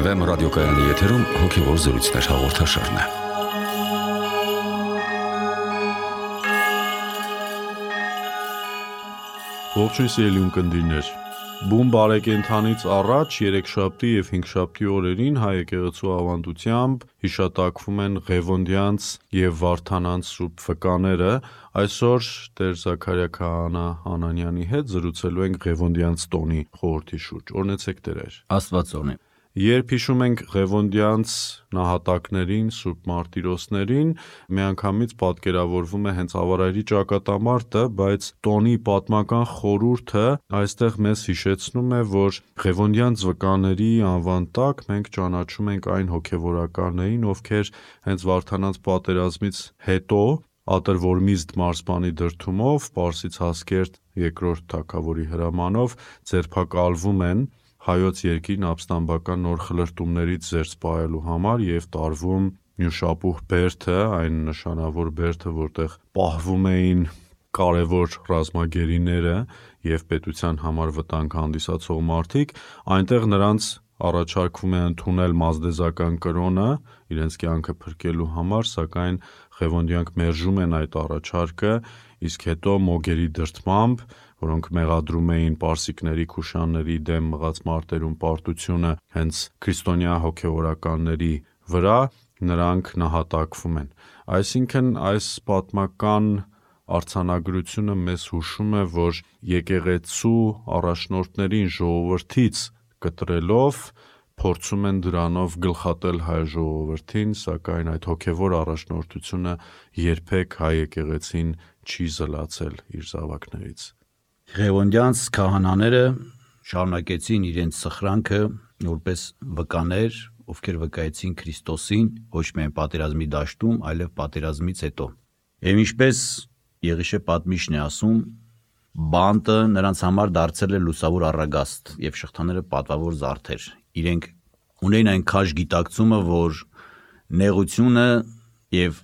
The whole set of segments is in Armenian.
Վեմ ռադիոկայանի եթերում հոգևոր զրույցներ հաղորդաշարն է։ Ողջույն սիրելի ունկնդիրներ։ Բուն բարեկենդանից առաջ երեքշաբթի եւ հինգշաբթի օրերին հայ եկեղեցու ավանդությամբ հիշատակվում են Ղևոնդյանց եւ Վարդանանց սուրբ վկաները։ Այսօր Տեր Զաքարիա Քահանա Անանյանի հետ զրուցելու ենք Ղևոնդյանց տոնի խորհրդի շուրջ։ Օրհնեցեք Տեր։ Աստված օրհնի։ Երբ հիշում ենք Ղևոնդյանց նահատակներին, Սուրբ Մարտիրոսներին, միանգամից պատկերավորվում է հենց Ավարայրի ճակատամարտը, բայց տոնի պատմական խորհուրդը այստեղ մեզ հիշեցնում է, որ Ղևոնդյանց վկաների անվան տակ մենք ճանաչում ենք այն հոգևորականներին, ովքեր հենց Վարդանանց պատերազմից հետո Ատրվորմիզդ մարզպանի դրդումով Պարսից Հասկերտ II թագավորի հրամանով ձերբակալվում են հայոց երկիրն ապստամբական նոր խլրտումներից զերծ պահելու համար եւ տարվում Նյուշապուհ բերդը, այն նշանավոր բերդը, որտեղ պահվում էին կարևոր ռազմագերիները եւ պետության համար վտանգ հանդիսացող մարդիկ, այնտեղ նրանց առաջարկվում է ընդունել մազդեզական կրոնը իրենց կյանքը փրկելու համար, սակայն Ղևոնդյանք մերժում են այդ առաջարկը, իսկ հետո մոգերի դրդմամբ, որոնք մեղադրում էին պարսիկների, քուշանների դեմ մղած մարտերում պարտությունը հենց քրիստոնյա հոգևորականների վրա, նրանք նահատակվում են։ Այսինքն այս պատմական արձանագրությունը մեզ հուշում է, որ եկեղեցու առաջնորդներին ժողովրդից կտրելով փորձում են դրանով գլխատել հայ ժողովրդին, սակայն այդ հոգևոր առաջնորդությունը երբեք հայ եկեղեցին չի զլացել իր զավակներից։ Ղևոնդյանց քահանաները շարունակեցին իրենց սխրանքը որպես վկաներ, ովքեր վկայեցին Քրիստոսին ոչ միայն պատերազմի դաշտում, այլև պատերազմից հետո։ Եվ ինչպես Եղիշե պատմիչն է ասում, բանտը նրանց համար դարձել է լուսավոր առագաստ եւ շղթաները պատվավոր զարդեր։ Իրենք ունեն այն քաշ գիտակցումը, որ նեղությունը եւ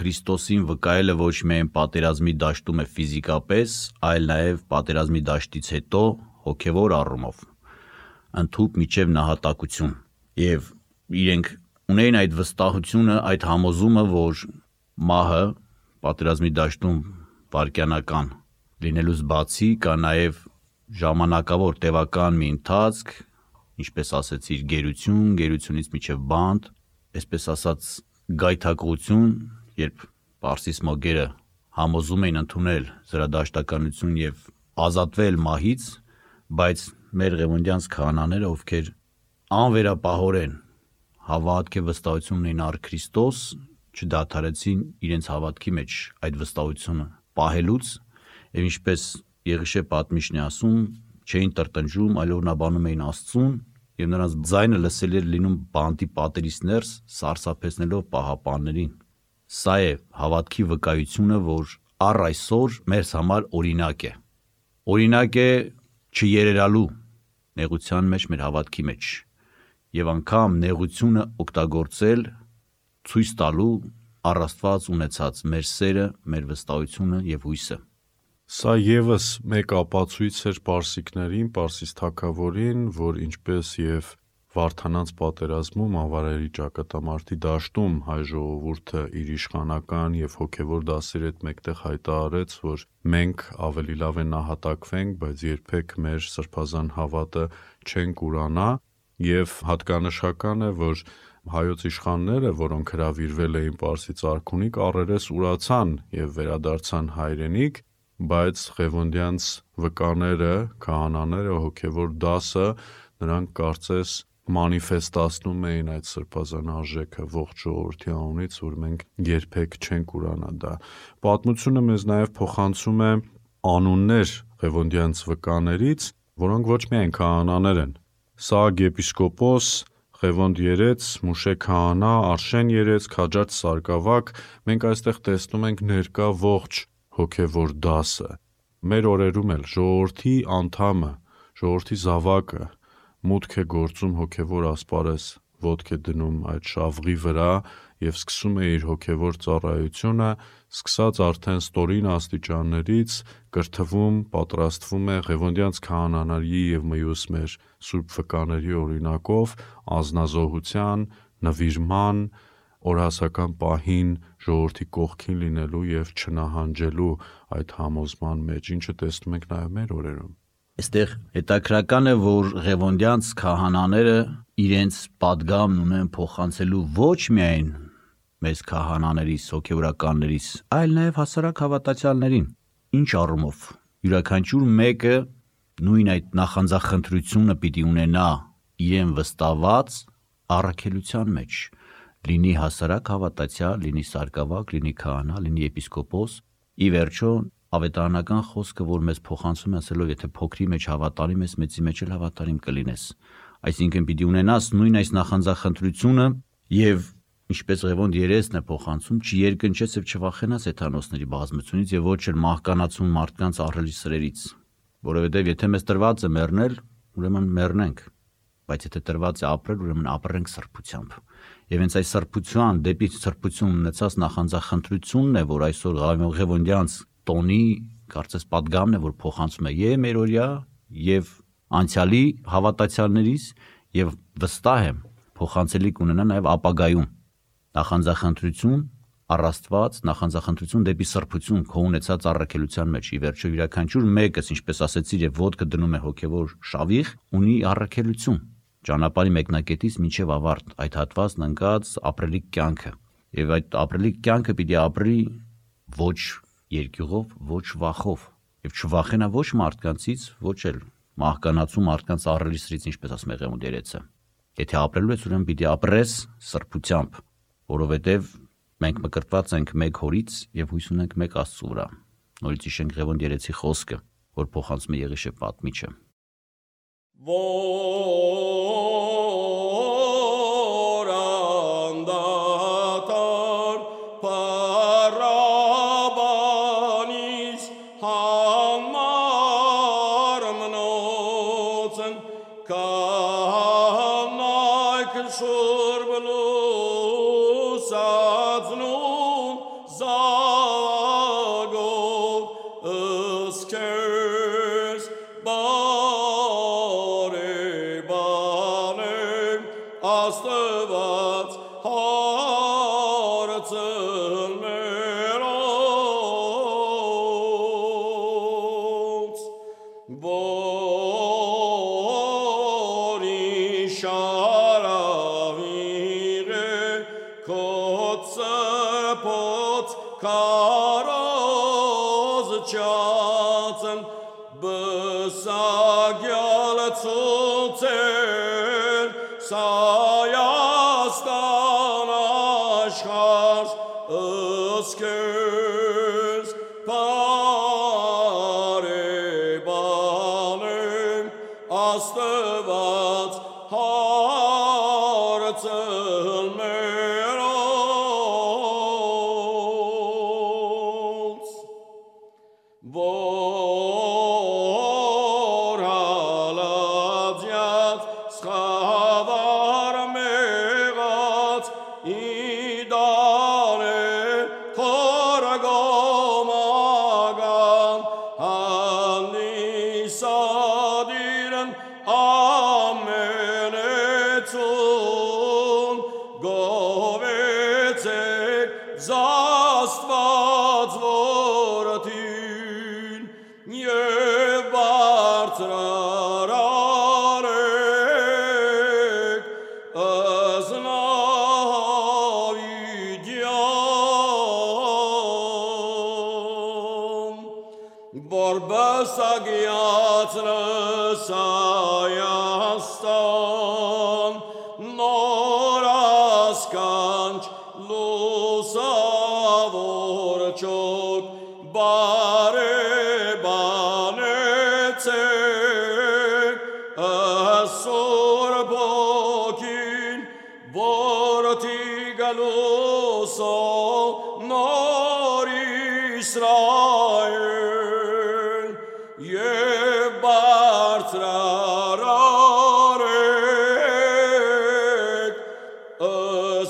Քրիստոսին վկայելը ոչ միայն պատերազմի դաշտում է ֆիզիկապես, այլ նաեւ պատերազմի դաշտից հետո հոգեվոր առումով ընդհուպ միջև նահատակություն։ Եվ իրենք ունեն այդ վստահությունը, այդ համոզումը, որ մահը պատերազմի դաշտում վայրկյանական լինելուց բացի կա նաեւ ժամանակավոր տևական մի ընթացք, ինչպես ասեցիր, գերությունից միջև բանտ, այսպես ասած գայթակղություն, երբ Պարսից մոգերը համոզում էին ընդունել զրադաշտականություն եւ ազատվել մահից, բայց մեր Ղևոնդյանց քահանաները, ովքեր անվերապահորեն հավատք եւ վստահություն ունեն առ Քրիստոս, չդադարեցին իրենց հավատքի մեջ այդ վստահությունը պահելուց, եւ ինչպես Եղիշե պատմիչն է ասում, չէին տրտնջում, այլ օրնաբանում էին Աստծուն, եւ նրանց ձայնը լսելի էր լինում բանտի պատերից ներս, սարսափեցնելով պահապաններին։ Սա է հավատքի վկայությունը, որ առ այսօր մեզ համար օրինակ է։ Օրինակ է չերերալու նեղության մեջ, մեր հավատքի մեջ, եւ անգամ նեղությունը օգտագործել ցույց տալու առ Աստված ունեցած մեր սերը, մեր վստահությունը եւ հույսը։ Սա եւս մեկ ապացույց էր պարսիկներին, Պարսից թագավորին, որ ինչպես եւ Վարդանանց պատերազմում Ավարայրի ճակատամարտի դաշտում հայ ժողովուրդը իր իշխանական եւ հոգեվոր դասերի հետ մեկտեղ հայտարարեց, որ մենք ավելի լավ է նահատակվենք, բայց երբեք մեր սրբազան հավատը չենք ուրանա, եւ հատկանշական է, որ հայոց իշխանները, որոնք հրավիրվել էին Պարսից արքունիք, առերես ուրացան եւ վերադարձան հայրենիք, բայց Ղևոնդյանց վկաները, քահանաները, հոգևոր դասը նրանք կարծես մանիֆեստացնում էին այդ սրբազան արժեքը ողջ ժողովրդի անունից, որ մենք երբեք չենք ուրանա դա։ Պատմությունը մեզ նաև փոխանցում է անուններ Ղևոնդյանց վկաներից, որոնք ոչ միայն քահանաներ են։ Սաղ եպիսկոպոս, Ղևոնդ երեց, Մուշե քահանա, Արշեն երեց, Քաջարդ Սարգսակ, մենք այստեղ տեսնում ենք ներկա ողջ հոգևոր դասը։ Մեր օրերում էլ ժողովրդի անդամը, ժողովրդի զավակը մուտք է գործում հոգևոր ասպարեզ, ոտք է դնում այդ շավղի վրա եւ սկսում է իր հոգեվոր ծառայությունը, սկսած արդեն ստորին աստիճաններից, կրթվում, պատրաստվում է Ղևոնդյանց քահանաների եւ մյուս մեր սուրբ վկաների օրինակով ազնազոհության, նվիրման, օրհասական պահին ժողովրդի կողքին լինելու եւ չնահանջելու այդ համոզման մեջ, ինչը տեսնում ենք նաեւ մեր օրերում։ Այստեղ հետաքրական է, որ Ղևոնդյանց քահանաները իրենց պատգամն ունեն փոխանցելու ոչ միայն մեծ քահանաներից, հոգևորականներից, այլ նաև հասարակ հավատացյալներին։ Ինչ առումով յուրաքանչյուր մեկը նույն այդ նախանձախնդրությունը պիտի ունենա իրեն վստահված առաքելության մեջ, լինի հասարակ հավատացյալ, լինի սարկավակ, լինի քահանա, լինի եպիսկոպոս, ի վերջո ավետարանական խոսքը, որ մեզ փոխանցում է ասելով, եթե փոքրի մեջ հավատարիմ ես, մեծի մեջ էլ հավատարիմ կլինես։ Այսինքն պիտի ունենաս նույն այս նախանձախնդրությունը եւ ինչպես Ղևոնդ երեսն է փոխանցում, չերկնչես եւ չվախենաս հեթանոսների բազմությունից եւ ոչ էլ մահկանացուն մարդկանց ահռելի սրերից, որովհետեւ եթե մեզ տրված է մեռնել, ուրեմն մեռնենք, բայց եթե տրված է ապրել, ուրեմն ապրենք սրբությամբ։ Եվ հենց այս սրբության, դեպի սրբություն ունեցած նախանձախնդրությունն է, որ այսօր Ղևոնդյանց տոնի կարծես պատգամն է, որ փոխանցում է եւ մերօրյա եւ անցյալի հավատացյալներից եւ վստահ եմ փոխանցելի կունենա նաեւ ապագայում նախանձախնդրություն առաստված, նախանձախնդրություն դեպի սրբություն քո ունեցած առաքելության մեջ։ Ի վերջո յուրաքանչյուր մեկս, ինչպես ասեցիր, եւ ոտքը դնում է հոգեվոր շավիղ, ունի առաքելություն ճանապարհի մեկնակետից մինչև ավարտ, այդ հատվածն ընկած ապրելիք կյանքը։ Եվ այդ ապրելիք կյանքը պիտի ապրի ոչ երկյուղով, ոչ վախով, եւ չվախենա ոչ մարդկանցից, ոչ էլ մահկանացու մարդկանց ահռելի սրից, ինչպես ասում է Ղևոնդ երեցը։ Եթե ապրելու ես, ուրեմն պիտի ապրես սրբությամբ, որովհետեւ մենք մկրտված ենք մեկ հորից եւ հույս ունենք մեկ Աստծու վրա։ Նորից հիշենք Ղևոնդ երեցի խոսքը, որ փոխանցում է Եղիշե պատմիչը։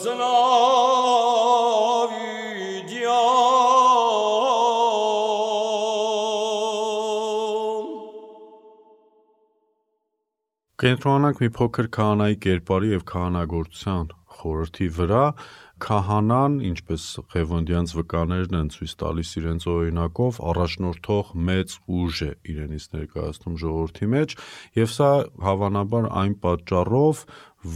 Zna Կենտրոնանանք մի փոքր քահանայի կերպարի եւ քահանագործության խորհրդի վրա։ Քահանան, ինչպես Ղևոնդյանց վկաներն են ցույց տալիս իրենց օրինակով, առաջնորդող մեծ ուժ է իրենից ներկայացնում ժողովրդի մեջ, եւ սա հավանաբար այն պատճառով,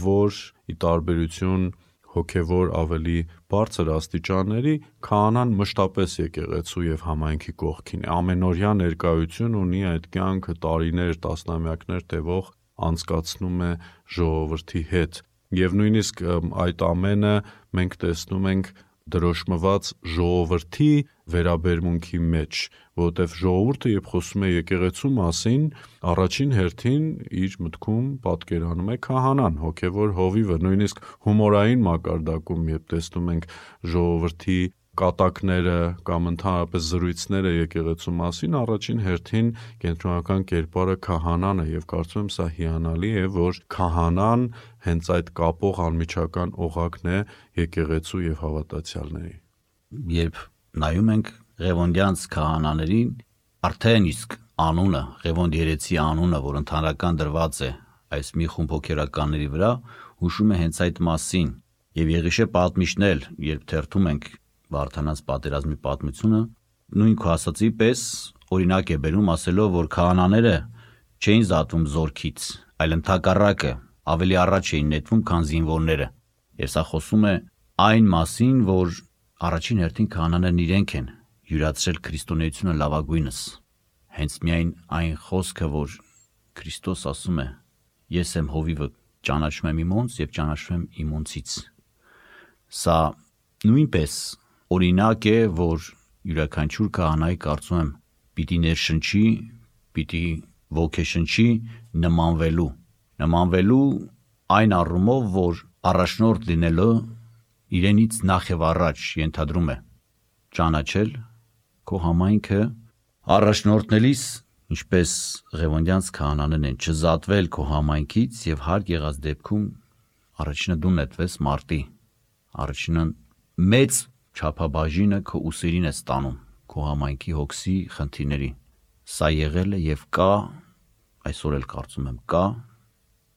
որ ի տարբերություն հոգևոր ավելի բարձր աստիճանների, քահանան մշտապես եկեղեցու եւ համայնքի կողքին է, ամենօրյա ներկայություն ունի, այդ կյանքը տարիներ, տասնամյակներ տևող անցկացնում է ժողովրդի հետ, եւ նույնիսկ այդ ամենը մենք տեսնում ենք դրոշմված ժողովրդի վերաբերմունքի մեջ, որովհետև ժողովուրդը երբ խոսում է եկեղեցու մասին, առաջին հերթին իր մտքում պատկերանում է քահանան, հոգևոր հովիվը, նույնիսկ հումորային մակարդակում, երբ տեսնում ենք ժողովրդի կատակները կամ ընդհանրապես զրույցները եկեղեցու մասին, առաջին հերթին կենտրոնական կերպարը քահանան է, եւ կարծում եմ սա հիանալի է, որ քահանան հենց այդ կապող անմիջական օղակն է եկեղեցու եւ հավատացյալների։ Երբ նայում ենք Ղևոնդյանց քահանաներին, արդեն իսկ անունը, Ղևոնդ երեցի անունը, որ ընդհանրական դրված է այս մի խումբ հոգևորականների վրա, հուշում է հենց այդ մասին։ Եվ Եղիշե պատմիչն էլ, երբ թերթում ենք Վարդանանց պատերազմի պատմությունը, նույն քո ասացի պես օրինակ է բերում, ասելով, որ քահանաները չէին զատվում զորքից, այլ ընդհակառակը ավելի առաջ էին նետվում, քան զինվորները։ Եվ սա խոսում է այն մասին, որ առաջին հերթին քահանաներն իրենք են յուրացրել քրիստոնեությունը լավագույնս։ Հենց միայն այն խոսքը, որ Քրիստոս ասում է. Ես եմ հովիվը, ճանաչում եմ իմոնց եւ ճանաչում եմ իմոնցից։ Սա նույնպես օրինակ է, որ յուրաքանչյուր քահանայի կարծում եմ պիտի ներշնչի, պիտի ոգեշնչի նմանվելու այն առումով, որ առաջնորդ լինելը իրենից նախ եւ առաջ ենթադրում է ճանաչել քո համայնքը, առաջնորդնելիս, ինչպես Ղևոնդյանց քահանաներն են, չզատվել քո համայնքից եւ հարկ եղած դեպքում առաջինը դու նետվես մարտի, առաջինը մեծ չափաբաժինը քո ուսերին է ստանում քո համայնքի հոգսի խնդիրների։ Սա եղել է եւ կա, այսօր էլ կարծում եմ կա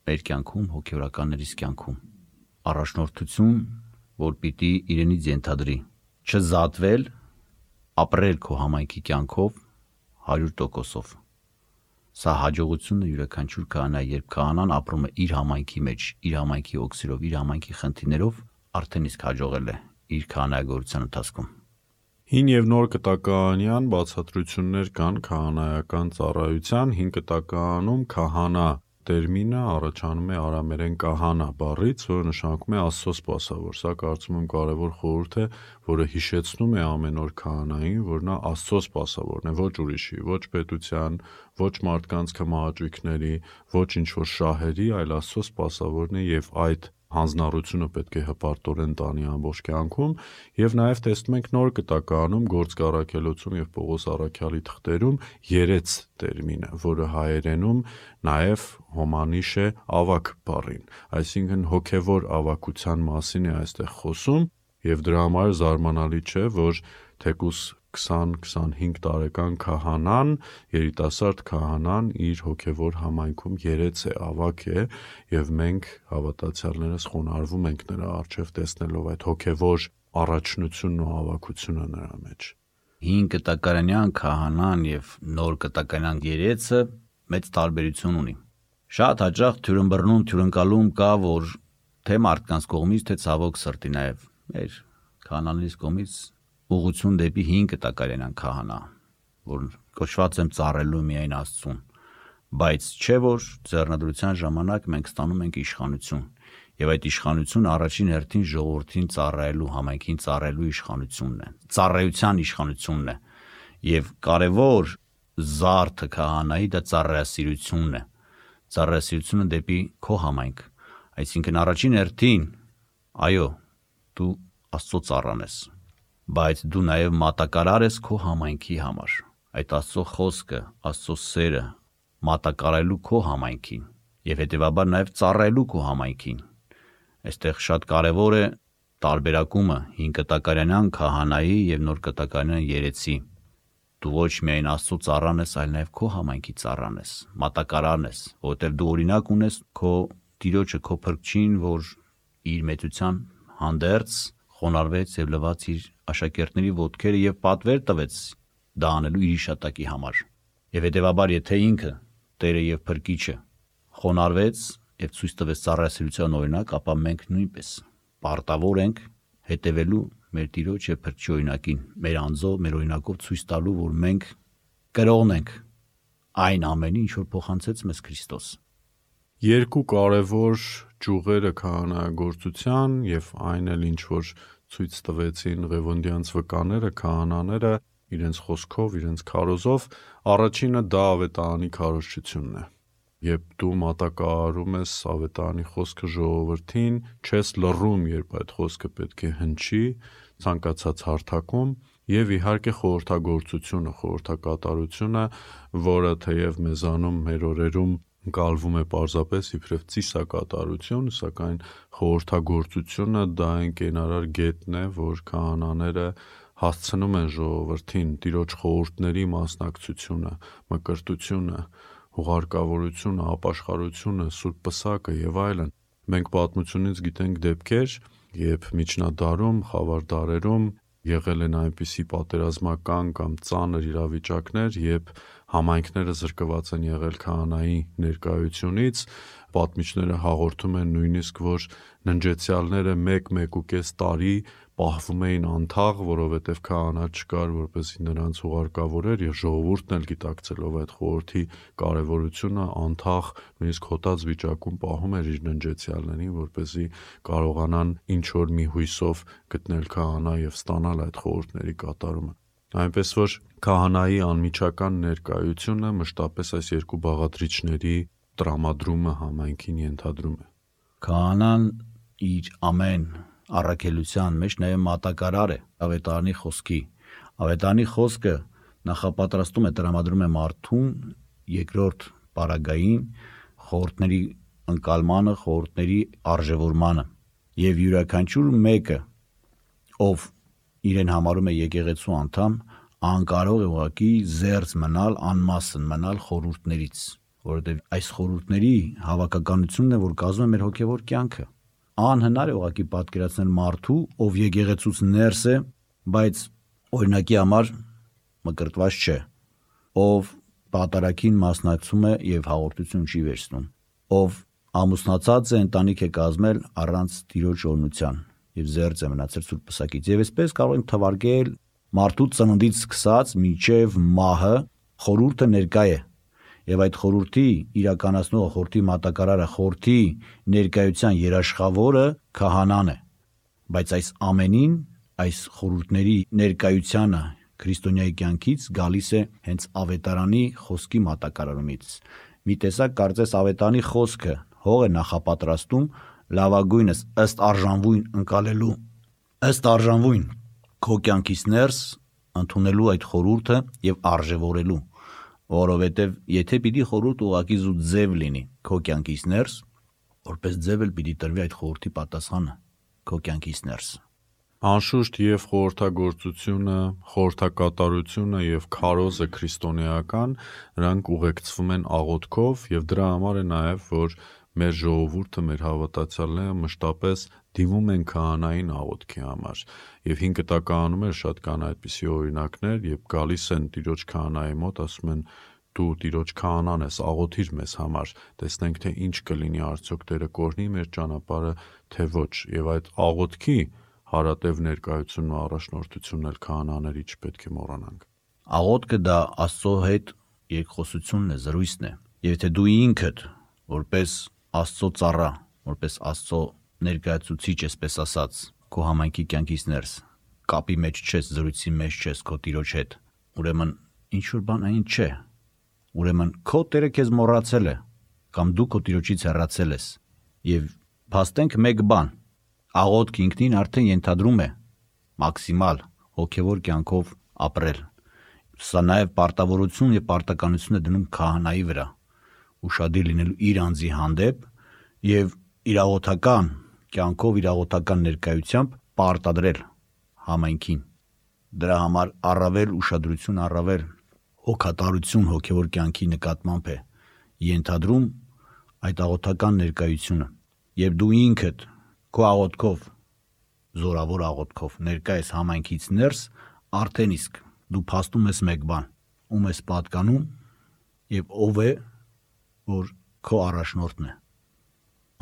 մեր կյանքում, հոգևորականներիս կյանքում առաջնորդություն, որ պիտի իրենից ենթադրի չզատվել, ապրել քո համայնքի կյանքով 100%-ով։ Սա հաջողությունը յուրաքանչյուր քահանայի, երբ քահանան ապրում է իր համայնքի մեջ, իր համայնքի օգսերով, իր համայնքի խնդիրներով, արդեն իսկ հաջողել է իր քահանայագործության ընթացքում։ Հին եւ նոր կտակարանյան բացատրություններ կան քահանայական ծառայության։ Հին կտակարանում քահանա տերմինը առաջանում է արամերեն կահանա բառից, որը նշանակում է Աստծո սպասավոր։ Սա կարծում եմ կարևոր խորհուրդ է, որը հիշեցնում է ամեն օր քահանային, որ նա Աստծո սպասավորն է, ոչ ուրիշի, ոչ պետության, ոչ մարդկանց կմահաճույքների, ոչ ինչ-որ շահերի, այլ Աստծո սպասավորն է եւ այդ հանձնառությունը պետք է հպարտորեն տանի ամբողջ կյանքում, եւ նաեւ տեսնում ենք նոր կտակարանում Գործք առաքելոցում եւ Պողոս առաքյալի թղթերում երեց տերմինը, որը հայերենում նաեւ հոմանիշ է ավակ բառին, այսինքն հոգեվոր ավակության մասին է այստեղ խոսում, եւ դրա համար զարմանալի չէ, որ թեկուզ 20-25 տարեկան քահանան, երիտասարդ քահանան իր հոգևոր համայնքում երեց է, ավակ է, եւ մենք հավատացյալներս խոնարհվում ենք նրա առջև տեսնելով այդ հոգևոր առաջնությունն ու ավակությունը նրա մեջ։ Հին կտակարանյան քահանան եւ նոր կտակարանյան երեցը մեծ տարբերություն ունի։ Շատ հաճախ թյուրըմբռնում կա, որ թե մարդկանց կողմից, թե ցավոք սրտի նաեւ մեր քահանաներից կողմից ուղղություն դեպի հին կտակարանյան քահանա, որ կոչված եմ ծառայելու միայն Աստծուն, բայց չէ որ ձեռնադրության ժամանակ մենք ստանում ենք իշխանություն, եւ այդ իշխանությունը առաջին հերթին ժողովրդին ծառայելու, համայնքին ծառայելու իշխանությունն է, ծառայության իշխանությունն է, եւ կարևոր զարդը քահանայի դա ծառայասիրությունն է, ծառայասիրությունը դեպի քո համայնք, այսինքն առաջին հերթին, այո, դու Աստծո ծառան ես, բայց դու նաև մատակարար ես քո համայնքի համար, այդ Աստծո խոսքը, Աստծո սերը մատակարելու քո համայնքին եւ հետեւաբար նաև ծառայելու քո համայնքին։ Այստեղ շատ կարևոր է տարբերակումը հին կտակարանյան քահանայի եւ նոր կտակարանյան երեցի։ Դու ոչ միայն Աստծո ծառան ես, այլ նաև քո համայնքի ծառան ես, մատակարարն ես, որովհետև դու օրինակ ունես քո Տիրոջը, քո Փրկչին, որ իր մեծության հանդերձ խոնարհվեց եւ լվաց իր աշակերտների ոտքերը եւ պատվեր տվեց դա անելու իր իշատակի համար։ Եվ հետեւաբար, եթե ինքը Տերը եւ Փրկիչը խոնարհվեց եւ ցույց տվեց ծառայասիրության օրինակ, ապա մենք նույնպես պարտավոր ենք հետևելու մեր Տիրոջ եւ Փրկչի օրինակին, մեր անձով, մեր օրինակով ցույց տալու, որ մենք կրողն ենք այն ամենին, ինչ որ փոխանցեց մեզ Քրիստոս։ Երկու կարևոր ճյուղերը քահանայագործության եւ այն էլ ինչ որ ցույց տվեցին Ղևոնդյանց վկաները, քահանաները իրենց խոսքով, իրենց քարոզով, առաջինը դա ավետարանի քարոզչությունն է։ Երբ դու մատակարարում ես ավետարանի խոսքը ժողովրդին, չես լռում, երբ այդ խոսքը պետք է հնչի ցանկացած հարթակում, եւ իհարկե խորհրդագործությունը, խորհրդակատարությունը, որը թեև մեզանում մեր օրերում ընկալվում է պարզապես իբրև ծիսակատարություն, սակայն խորհրդագործությունը դա այն կենարար գետն է, որ քահանաները հասցնում են ժողովրդին Տիրոջ խորհուրդների մասնակցությունը, մկրտությունը, հուղարկավորությունը, ապաշխարությունը, սուրբ պսակը եւ այլն։ Մենք պատմությունից գիտենք դեպքեր, երբ միջնադարում, խավար դարերում եղել են այնպիսի պատերազմական կամ ծանր իրավիճակներ, երբ համայնքները զրկված են եղել քահանայի ներկայությունից, պատմիչները հաղորդում են նույնիսկ, որ ննջեցյալները 1-1.5 տարի պահվում էին անթաղ, որովհետև քահանա չկար, որպեսզի նրանց ուղարկավորեր, եւ ժողովուրդն էլ գիտակցելով այդ խորհրդի կարևորությունը անթաղ, նույնիսկ հոտած վիճակում պահում էր իր ննջեցյալներին, որպեսզի կարողանան ինչ որ մի հույսով գտնել քահանա եւ ստանալ այդ խորհուրդների կատարումը։ Այնպես որ քահանայի անմիջական ներկայությունը մշտապես այս երկու բաղադրիչների տրամադրումը համայնքին ենթադրում է։ Քահանան իր ամեն առաքելության մեջ նաև մատակարար է ավետարանի խոսքի։ Ավետարանի խոսքը նախապատրաստում է, տրամադրում է մարդուն երկրորդ պարագային խորհուրդների ընկալմանը, խորհուրդների արժևորմանը, եւ յուրաքանչյուր մեկը, ով իրեն համարում է եկեղեցու անդամ, անկարող է ուղղակի զերծ մնալ, անմասն մնալ խորհուրդներից, որովհետև այս խորհուրդների հավաքականությունն է, որ կազմում է մեր հոգևոր կյանքը։ Անհնար է ուղղակի պատկերացնել մարդու, ով եկեղեցուց ներս է, բայց օրինակի համար մկրտված չէ, ով պատարագին մասնակցում է եւ հաղորդություն չի վերցնում, ով ամուսնացած է, ընտանիք է կազմել առանց Տիրոջ օրհնության եւ զերծ է մնացել սուրբ պսակից։ Եվ այսպես կարող ենք թվարկել մարդու ծննդից սկսած մինչև մահը խորհուրդը ներկա է, եւ այդ խորհրդի իրականացնողը, խորհրդի մատակարարը, խորհրդի ներկայության երաշխավորը քահանան է։ Բայց այս ամենին, այս խորհուրդների ներկայությանը քրիստոնյայի կյանքից գալիս է հենց ավետարանի խոսքի մատակարարումից։ Մի տեսակ կարծես ավետարանի խոսքը հող է նախապատրաստում լավագույնս ըստ արժանվույն ընկալելու, ըստ արժանվույն քո կյանքից ներս ընդունելու այդ խորհուրդը եւ արժևորելու, որովհետեւ եթե պիտի խորհուրդ ուղակի զու ձև լինի քո կյանքից ներս, որպես ձև էլ պիտի տրվի այդ խորհրդի պատասխանը քո կյանքից ներս։ Անշուշտ եւ խորհրդագործությունը, խորհրդակատարությունը եւ քարոզը քրիստոնեական, նրանք ուղեկցվում են աղոթքով եւ դրա համար է նաեւ, որ մեր ժողովուրդը, մեր հավատացյալները մշտապես դիմում են քահանային աղոթքի համար։ Եվ 5 տականում է շատ կան այդպիսի օրինակներ, երբ գալիս են Տիրոջ քահանայի մոտ, ասում են դու Տիրոջ քահանան ես, աղոթիր մեզ համար, տեսնենք թե ինչ կլինի, արդյոք Տերը կօրհնի մեր ճանապարհը, թե ոչ։ Եվ այդ աղոթքի հարատև ներկայությունն ու առաջնորդությունն էլ քահանաների չպետք է մոռանանք։ Աղոթքը դա Աստծո հետ երկխոսությունն է, զրույցն է։ Եվ եթե դու ինքդ որպես Աստծո ծառա, որպես Աստծո ներկայացուցիչ, այսպես ասած, քո համայնքի կյանքից ներս կապի մեջ չես, զրույցի մեջ չես քո Տիրոջ հետ, ուրեմն ինչ որ բան այն չէ։ Ուրեմն քո Տերը քեզ մոռացել է, կամ դու քո Տիրոջից հեռացել ես։ Եվ փաստենք մեկ բան, աղոթքը ինքնին արդեն ենթադրում է մաքսիմալ հոգևոր կյանքով ապրել։ Սա նաև պարտավորություն եւ պարտականություն է դնում քահանայի վրա, ուշադիր լինելու իր անձի հանդեպ եւ իր աղոթական կյանքով, իր աղոթական ներկայությամբ պարտադրել համայնքին դրա համար առավել ուշադրություն, առավել հոգատարություն հոգևոր կյանքի նկատմամբ է ենթադրում այդ աղոթական ներկայությունը, եւ դու ինքդ քո աղոթքով, զորավոր աղոթքով ներկա ես համայնքից ներս, արդեն իսկ դու փաստում ես մեկ բան, ում ես պատկանում եւ ով է, որ քո առաջնորդն է։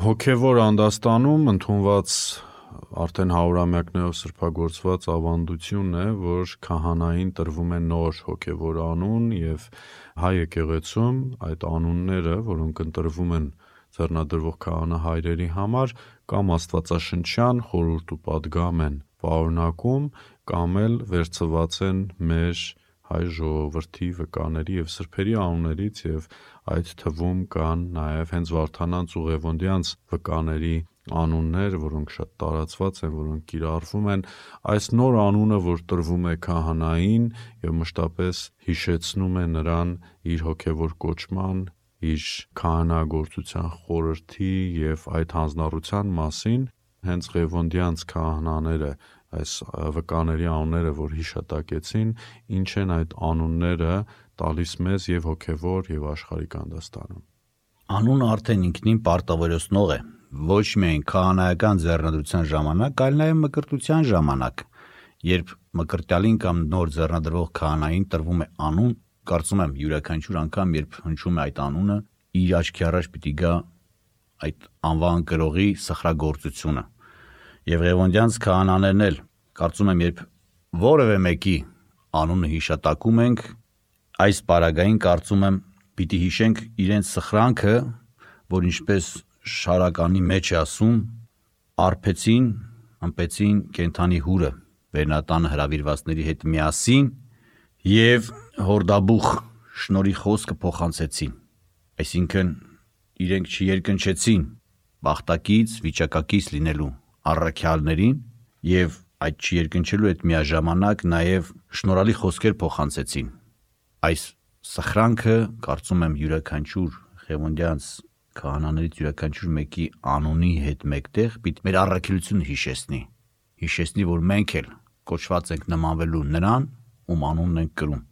Հոգևոր անդաստանում ընդունված արդեն հարյուրամյակներով սրբագործված ավանդությունն է, որ քահանային տրվում է նոր հոգևոր անուն եւ հայ եկեղեցում այդ անունները, որոնք ընտրվում են ձեռնադրվող քահանահայրերի համար, կամ աստվածաշնչյան խորհուրդ ու պատգամ են պարունակում, կամ էլ վերցված են մեր հայ ժողովրդի վկաների եւ սրբերի անուններից, եւ այդ թվում կան նաեւ հենց Վարդանանց ու Ղևոնդյանց վկաների անուններ, որոնք շատ տարածված են, որոնք կիրառվում են։ Այս նոր անունը, որ տրվում է քահանային եւ մշտապես հիշեցնում է նրան իր հոգևոր կոչման, իր քահանագործության խորհրդի եւ այդ հանձնառության մասին, հենց Ղևոնդյանց քահանաները, այս վկաների անունները, որ հիշատակեցին, ինչ են այդ անունները տալիս մեզ եւ հոգևոր եւ աշխարհիկ անդաստանում։ Անունը արդեն ինքնին պարտավորեցնող է, ոչ միայն քահանայական ձեռնադրության ժամանակ, այլ նաեւ մկրտության ժամանակ, երբ մկրտյալին կամ նոր ձեռնադրվող քահանային տրվում է անուն, կարծում եմ յուրաքանչյուր անգամ, երբ հնչում է այդ անունը, իր աչքի առաջ պիտի գա այդ անվան կրողի սխրագործությունը։ Եվ Ղևոնդյանց քահանաներն էլ, կարծում եմ, երբ որևէ մեկի անունը հիշատակում ենք, այս պարագային կարծում եմ պիտի հիշենք իրենց սխրանքը, որ ինչպես շարականի մեջ է ասում, արփեցին, ըմպեցին կենդանի հուրը վերնատանը հրավիրվածների հետ միասին եւ հորդաբուխ շնորհի խոսքը փոխանցեցին, այսինքն իրենք չերկնչեցին բախտակից, վիճակակից լինելու առաքյալներին եւ այդ չերկնչելու հետ միաժամանակ նաեւ շնորհալի խոսքեր փոխանցեցին։ Այս սխրանքը կարծում եմ յուրաքանչյուր Ղևոնդյանց քահանաներից յուրաքանչյուր մեկի անունի հետ մեկտեղ պիտի մեր առաքելությունը հիշեցնի, որ մենք էլ կոչված ենք նմանվելու նրան, ում անունն ենք կրում։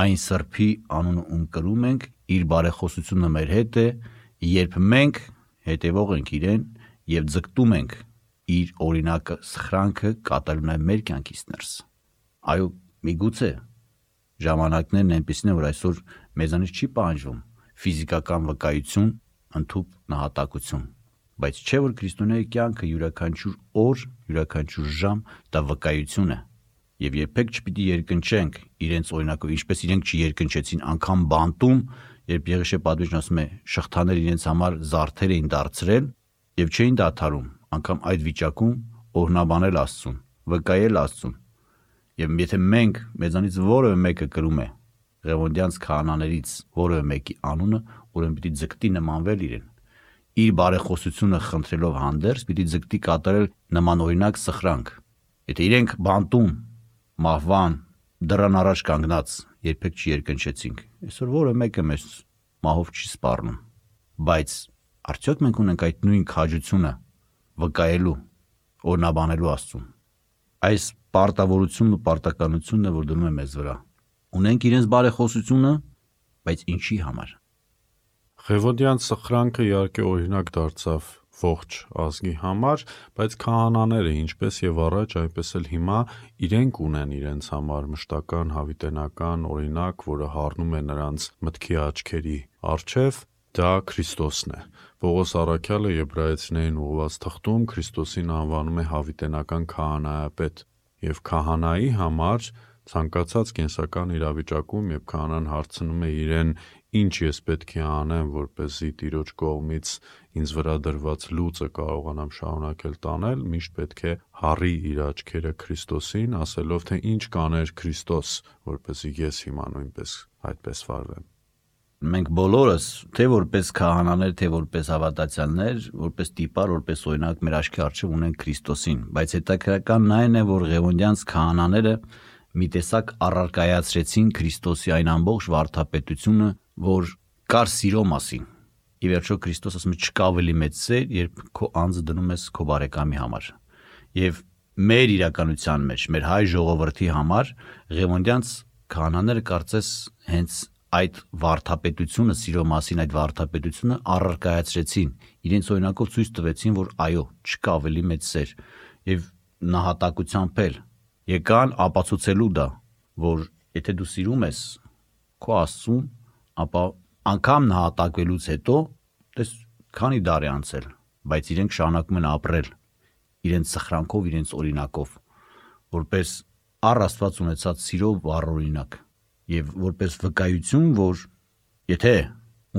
Այն սրբի անունը ում կրում ենք, իր բարեխոսությունը մեր հետ է, երբ մենք հետևող ենք իրեն եւ ձգտում ենք իր օրինակը սխրանքը կատարելու նաև մեր կյանքից ներս։ Այո, միգուցե ժամանակներն այնպիսին են, որ այսօր մեզանից չի պահանջվում ֆիզիկական վկայություն, ընդհուպ նահատակություն, բայց չէ որ քրիստոնեի կյանքը յուրաքանչյուր օր, յուրաքանչյուր ժամ դա վկայություն է, եւ երբեք չպիտի երկնչենք իրենց օրինակով, ինչպես իրենք չերկնչեցին անգամ բանտում, երբ Եղիշե պատվիճն ասում է շղթաներ իրենց համար զարդեր էին դարձրել եւ չէին դադարում անգամ այդ վիճակում օրհնաբանել Աստծուն, վկայել Աստծուն։ Եվ եթե մենք մեզանից որևէ մեկը կրում է Ղևոնդյանց քահանաներից որևէ մեկի անունը, ուրեմն պիտի ձգտի նմանվել իրեն։ Իր բարեխոսությունը խնդրելով հանդերձ պիտի ձգտի կատարել նմանօրինակ սխրանք։ Եթե իրենք բանտում, մահվան, դռան առաջ կանգնած երբեք չերկնչեցինք, այսօր որևէ մեկը մեզ մահով չի սպառնում։ Բայց արդյոք մենք ունենք այդ նույն քաջությունը վկայելու, օրհնաբանելու Աստծուն։ Այս պարտավորությունն ու պարտականությունն է, որ դնում է մեզ վրա։ Ունենք իրենց բարեխոսությունը, բայց ինչի համար։ Ղևոնդյան սխրանքը իհարկե օրինակ դարձավ ողջ ազգի համար, բայց քահանաները ինչպես եւ առաջ, այնպես էլ հիմա իրենք ունեն իրենց համար մշտական հավիտենական օրինակ, որը հառնում է նրանց մտքի աչքերի առջև, դա Քրիստոսն է։ Պողոս առաքյալը Եբրայեցիներին ուղղված թղթում Քրիստոսին անվանում է հավիտենական քահանայապետ, եւ քահանայի համար ցանկացած կենսական իրավիճակում, երբ քահանան հարցնում է իրեն, ինչ ես պետք է անեմ, որպեսզի Տիրոջ կողմից ինձ վրա դրված լուծը կարողանամ շարունակել տանել, միշտ պետք է հառի իր աչքերը Քրիստոսին, ասելով, թե ինչ կաներ Քրիստոս, որպեսզի ես հիմա նույնպես այդպես վարվեմ։ Մենք բոլորս, թե որպես քահանաներ, թե որպես հավատացյալներ, որպես տիպար, որպես օրինակ մեր աչքի առջև ունեն Քրիստոսին, բայց հետաքրքրականն այն է, որ Ղևոնդյանց քահանաները մի տեսակ առարկայացրեցին Քրիստոսի այն ամբողջ վարդապետությունը, որ կար սիրո մասին։ Ի վերջո Քրիստոս ասում է չկա ավելի մեծ սեր, երբ քո անձը դնում ես քո բարեկամի համար։ Եվ մեր իրականության մեջ, մեր հայ ժողովրդի համար Ղևոնդյանց քահանաները կարծես հենց այդ վարդապետությունը, սիրո մասին այդ վարդապետությունը առարկայացրեցին, իրենց օրինակով ցույց տվեցին, որ այո, չկա ավելի մեծ սեր, եւ նահատակությամբ էլ եկան ապացուցելու դա, որ եթե դու սիրում ես քո Աստծուն, ապա անգամ նահատակվելուց հետո տես քանի դար է անցել, բայց իրենք շարունակում են ապրել իրենց սխրանքով, իրենց օրինակով, որպես առ Աստված ունեցած սիրով վառօրինակ եւ որպես վկայություն, որ եթե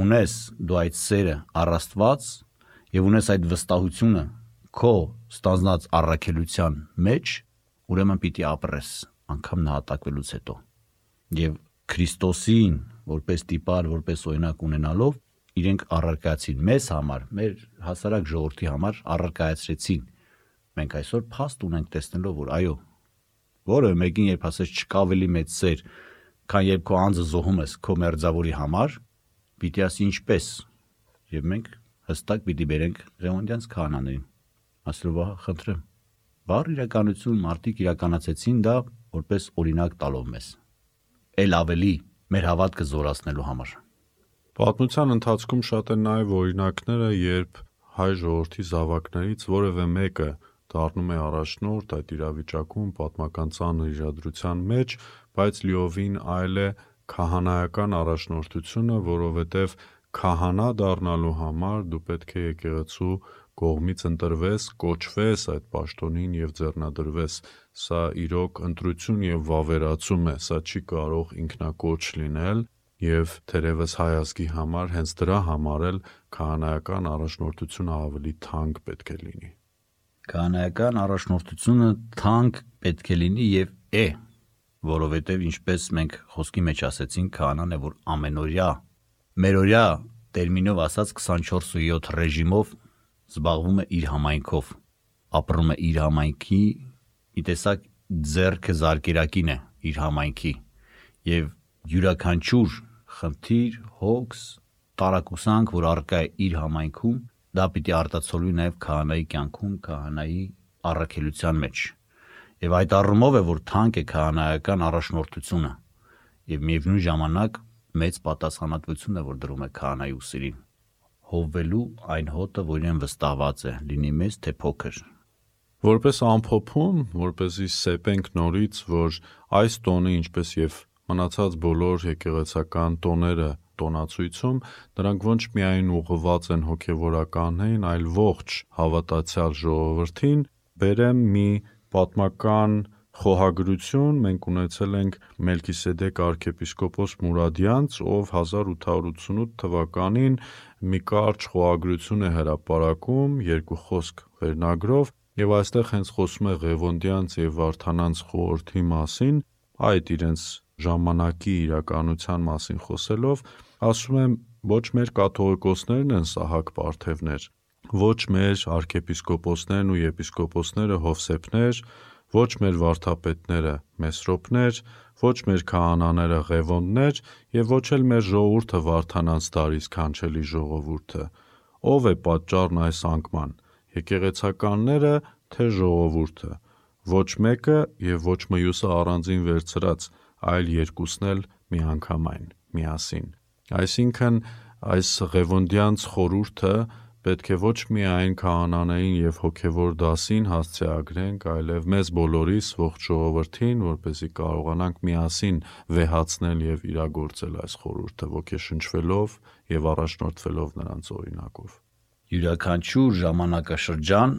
ունես դու այդ սերը առ Աստված եւ ունես այդ վստահությունը քո ստանձնած առաքելության մեջ, ուրեմն պիտի ապրես անգամ նահատակվելուց հետո եւ Քրիստոսին որպես տիպար, որպես օրինակ ունենալով իրենք առարկայացին մեզ համար, մեր հասարակ ժողովրդի համար առարկայացրեցին։ Մենք այսօր փաստ ունենք տեսնելով, որ այո, որևէ մեկին երբ ասես չկա ավելի մեծ սեր, քան երբ քո անձը զոհում ես քո մերձավորի համար, պիտի ասի ինչպես, եւ մենք հստակ պիտի բերենք Ղևոնդյանց քահանաներին։ Աստծո խնդրեմ, բառ իրականություն մարդիկ իրականացեցին դա որպես օրինակ տալով մեզ, ել ավելի մեր հավատքը զորացնելու համար։ Պատմության ընթացքում շատ են նաև օրինակները, երբ հայ ժողովրդի զավակներից որևէ մեկը դառնում է առաջնորդ այդ իրավիճակում պատմական ծանր իրադրության մեջ, բայց լիովին այլ է քահանայական առաջնորդությունը, որովհետև քահանա դառնալու համար դու պետք է եկեղեցու կողմից ընտրվես, կոչվես այդ պաշտոնին եւ ձեռնադրվես։ Սա իրոք ընտրություն եւ վավերացում է, սա չի կարող ինքնակոչ լինել եւ թերևս հայ ազգի համար հենց դրա համար էլ քահանայական առաջնորդությունը ավելի թանկ պետք է լինի։ Քահանայական առաջնորդությունը թանկ պետք է լինի եւ է, որովհետեւ ինչպես մենք խոսքի մեջ ասեցինք, քահանան է, որ ամենօրյա, մերօրյա տերմինով ասած 24/7 ռեժիմով զբաղվում է իր համայնքով, ապրում է իր համայնքի, մի տեսակ ձեռքը զարկերակին է իր համայնքի եւ յուրաքանչյուր խնդիր, հոգս, տարակուսանք, որ առկա է իր համայնքում, դա պիտի արտացոլվի նաև քահանայի կյանքում, քահանայի առաքելության մեջ։ Եվ այդ առումով է, որ թանկ է քահանայական առաջնորդությունը եւ միևնույն ժամանակ մեծ պատասխանատվություն է, որ դրում է քահանայի ուսերին, հովվելու այն հոտը, որ իրեն վստահված է, լինի մեծ թե փոքր։ Որպես ամփոփում, որպեսզի սեպենք նորից, որ այս տոնը, ինչպես եւ մնացած բոլոր եկեղեցական տոները տոնացույցում, դրանք ոչ միայն ուղղված են հոգևորականներին, այլ ողջ հավատացյալ ժողովրդին, բերեմ մի պատմական խոհագրություն, մենք ունեցել ենք Մելքիսեդեկ arczepiskopos Մուրադյանց, ով 1888 թվականին մի կարճ խոհագրություն է հրապարակում, երկու խոսք վերնագրով, եւ այստեղ հենց խոսում է Ղևոնդյանց եւ Վարդանանց խորհրդի մասին, այդ իրենց ժամանակի իրականության մասին խոսելով, ասում եմ, ոչ մեր կաթողիկոսներն են սահակ պարթևներ, ոչ մեր arczepiskoposներն ու եպիսկոպոսները հովսեփներ, ոչ մեր վարդապետները մեսրոպներ, ոչ մեր քահանաները ղևոնդներ եւ ոչ էլ մեր ժողովուրդը Վարդանանց տարի սքանչելի ժողովուրդը։ Ով է պատճառն այս անկման, եկեղեցականները թե ժողովուրդը, ոչ մեկը եւ ոչ մյուսը առանձին վերցրած, այլ երկուսն էլ միանգամայն, միասին։ Այսինքն այս Ղևոնդյանց խորհուրդը պետք է ոչ միայն քահանաներին եւ հոգեվոր դասին հասցեագրենք, այլև մեզ բոլորիս ողջ ժողովրդին, որպեսզի կարողանանք միասին վեհացնել եւ իրագործել այս խորհուրդը, ոգեշնչվելով եւ առաջնորդվելով նրանց օրինակով։ Յուրաքանչյուր ժամանակաշրջան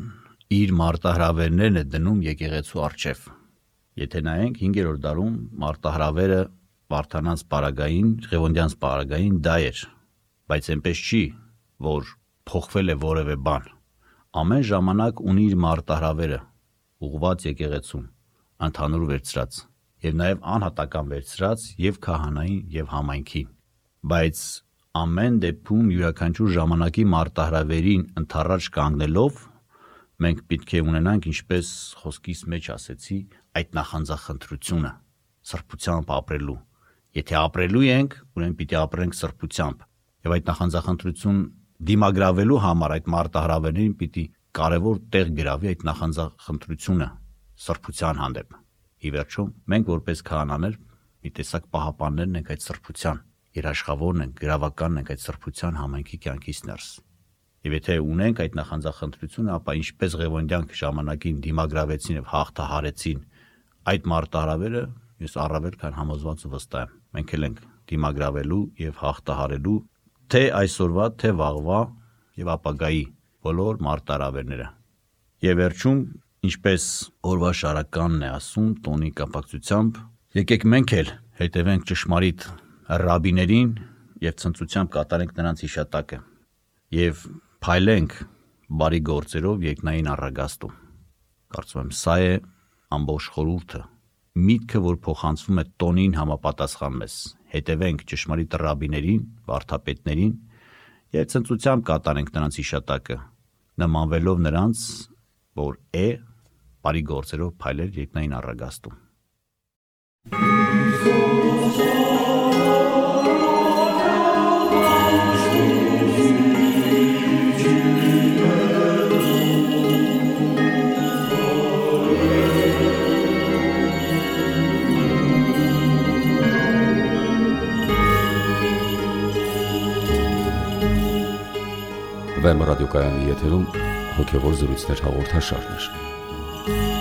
իր մարտահրավերներն է դնում եկեղեցու առջև։ Եթե նայենք 5-րդ դարում մարտահրավերը Վարդանանց պարագային, Ղևոնդյանց պարագային դա էր, բայց այնպես չի, որ փոխվել է որևէ բան։ Ամեն ժամանակ ունի իր մարտահրավերը, ուղղված եկեղեցուն, ընդհանուր վերցրած, եւ նաեւ անհատական վերցրած եւ քահանային եւ համայնքին։ Բայց ամեն դեպքում յուրաքանչյուր ժամանակի մարտահրավերին ընդառաջ կանգնելով մենք պետք է ունենանք, ինչպես խոսքիս մեջ ասեցի, այդ նախանձախնդրությունը, սրբությամբ ապրելու։ Եթե ապրելու ենք, ուրեմն պիտի ապրենք սրբությամբ։ Եվ այդ նախանձախնդրություն դիմագրավելու համար այդ մարտահրավերներին պիտի կարևոր տեղ գրավի այդ նախանձախնդրությունը սրբության հանդեպ։ Ի վերջո, մենք որպես քահանաներ մի տեսակ պահապաններն ենք այդ սրբության, երաշխավորն ենք, գրավականն ենք այդ սրբության համայնքի կյանքից ներս։ Եվ եթե ունենք այդ նախանձախնդրությունը, ապա ինչպես Ղևոնդյանք ժամանակին դիմագրավեցին եւ հաղթահարեցին այդ մարտահրավերը, ես առավել քան համոզված ու վստահ եմ։ Մենք էլ ենք դիմագրավելու եւ հաղթահարելու թե այսօրվա, թե վաղվա եւ ապագայի բոլոր մարտահրավերները։ Եվ վերջում, ինչպես օրվա շարականն է ասում տոնի կապակցությամբ, եկեք մենք էլ հետևենք ճշմարիտ ռաբիներին եւ ցնծությամբ կատարենք նրանց հիշատակը եւ փայլենք բարի գործերով երկնային առագաստում։ Կարծում եմ սա է ամբողջ խորհուրդը, միտքը, որ փոխանցվում է տոնին համապատասխան մեզ։ Հետևենք ճշմարիտ ռաբիներին, վարդապետներին եւ ցնծությամբ կատարենք նրանց հիշատակը, նմանվելով նրանց, որ բարի գործերով փայլեր երկնային առագաստում։ Վեմ ռադիոկայանի եթերում հոգևոր զրույցներ հաղորդաշարներ։